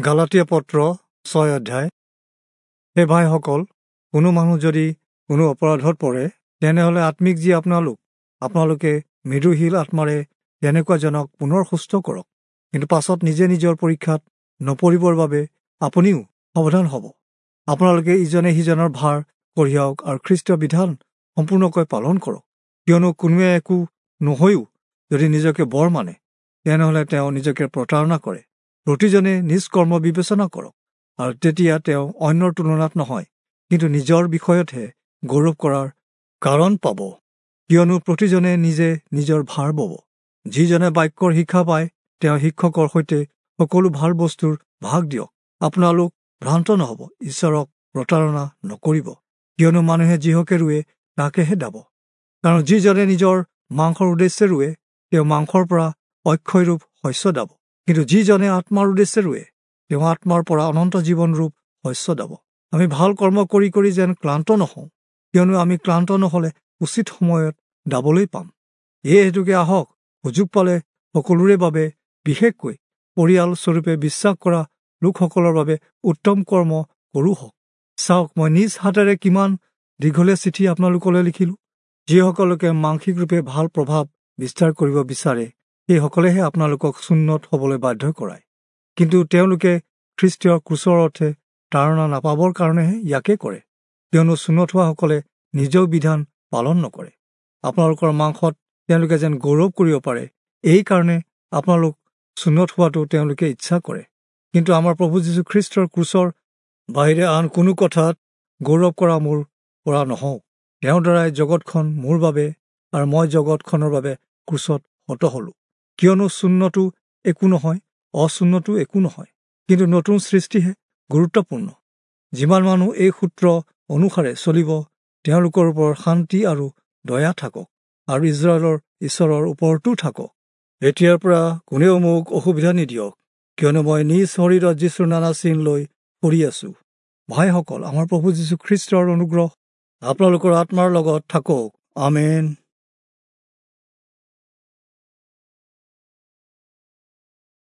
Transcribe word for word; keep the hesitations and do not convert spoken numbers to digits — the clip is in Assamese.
গালাতীয়া পত্ৰ ছয় অধ্যায়। হে ভাইসকল, কোনো মানুহ যদি কোনো অপৰাধত পৰে, তেনেহ'লে আত্মিক যি আপোনালোক, আপোনালোকে মৃদুশীল আত্মাৰে তেনেকুৱা জনক পুনৰ সুস্থ কৰক। কিন্তু পাছত নিজে নিজৰ পৰীক্ষাত নপৰিবৰ বাবে আপুনিও সাৱধান হ'ব। আপোনালোকে ইজনে সিজনৰ ভাৰ কঢ়িয়াওক আৰু খ্ৰীষ্টীয় বিধান সম্পূৰ্ণকৈ পালন কৰক। কিয়নো কোনোৱে একো নহৈও যদি নিজকে বৰ মানে, তেনেহ'লে তেওঁ নিজকে প্ৰতাৰণা কৰে। প্ৰতিজনে নিজ কৰ্ম বিবেচনা কৰক, আৰু তেতিয়া তেওঁ অন্যৰ তুলনাত নহয়, কিন্তু নিজৰ বিষয়তহে গৌৰৱ কৰাৰ কাৰণ পাব। কিয়নো প্ৰতিজনে নিজে নিজৰ ভাৰ বব। যিজনে বাক্যৰ শিক্ষা পায়, তেওঁ শিক্ষকৰ সৈতে সকলো ভাল বস্তুৰ ভাগ দিয়ক। আপোনালোক ভ্ৰান্ত নহ'ব, ঈশ্বৰক প্ৰতাৰণা নকৰিব। কিয়নো মানুহে যিহকে ৰুৱে তাকেহে দাব। কাৰণ যিজনে নিজৰ মাংসৰ উদ্দেশ্যে ৰুৱে, তেওঁ মাংসৰ পৰা অক্ষয়ৰূপ শস্য দাব। কিন্তু যিজনে আত্মাৰ উদ্দেশ্যে ৰুৱে, তেওঁ আত্মাৰ পৰা অনন্ত জীৱনৰূপ শস্য দাব। আমি ভাল কৰ্ম কৰি কৰি যেন ক্লান্ত নহওঁ, কিয়নো আমি ক্লান্ত নহ'লে উচিত সময়ত দাবলৈ পাম। এই হেতুকে আহক, সুযোগ পালে সকলোৰে বাবে, বিশেষকৈ পৰিয়াল স্বৰূপে বিশ্বাস কৰা লোকসকলৰ বাবে উত্তম কৰ্ম কৰোঁ হওক। চাওক, মই নিজ হাতেৰে কিমান দীঘলীয়া চিঠি আপোনালোকলৈ লিখিলোঁ। যিসকলকে মাংসিক ৰূপে ভাল প্ৰভাৱ বিস্তাৰ কৰিব বিচাৰে, সেইসকলেহে আপোনালোকক চুন্নত হ'বলৈ বাধ্য কৰায়। কিন্তু তেওঁলোকে খ্ৰীষ্টীয় ক্ৰুচৰ অৰ্থে তাৰণা নাপাবৰ কাৰণেহে ইয়াকে কৰে। কিয়নো চুন্নত হোৱাসকলে নিজেও বিধান পালন নকৰে। আপোনালোকৰ মাংসত তেওঁলোকে যেন গৌৰৱ কৰিব পাৰে, এইকাৰণে আপোনালোক চুন্নত হোৱাটো তেওঁলোকে ইচ্ছা কৰে। কিন্তু আমাৰ প্ৰভু যীশুখ্ৰীষ্টৰ ক্ৰুচৰ বাহিৰে আন কোনো কথাত গৌৰৱ কৰা মোৰ পৰা নহওঁ। তেওঁৰ দ্বাৰাই জগতখন মোৰ বাবে আৰু মই জগতখনৰ বাবে ক্ৰুচত হত হলোঁ। কিয়নো চুন্নতো একো নহয়, অচুন্নতো একো নহয়, কিন্তু নতুন সৃষ্টিহে গুৰুত্বপূৰ্ণ। যিমান মানুহ এই সূত্ৰ অনুসাৰে চলিব, তেওঁলোকৰ ওপৰত শান্তি আৰু দয়া থাকক, আৰু ইজৰাইলৰ ঈশ্বৰৰ ওপৰতো থাকক। এতিয়াৰ পৰা কোনেও মোক অসুবিধা নিদিয়ক, কিয়নো মই নিজ শৰীৰত যীশুৰ নানা চিন লৈ পৰি আছো। ভাইসকল, আমাৰ প্ৰভু যীশুখ্ৰীষ্টৰ অনুগ্ৰহ আপোনালোকৰ আত্মাৰ লগত থাকক। আমেন।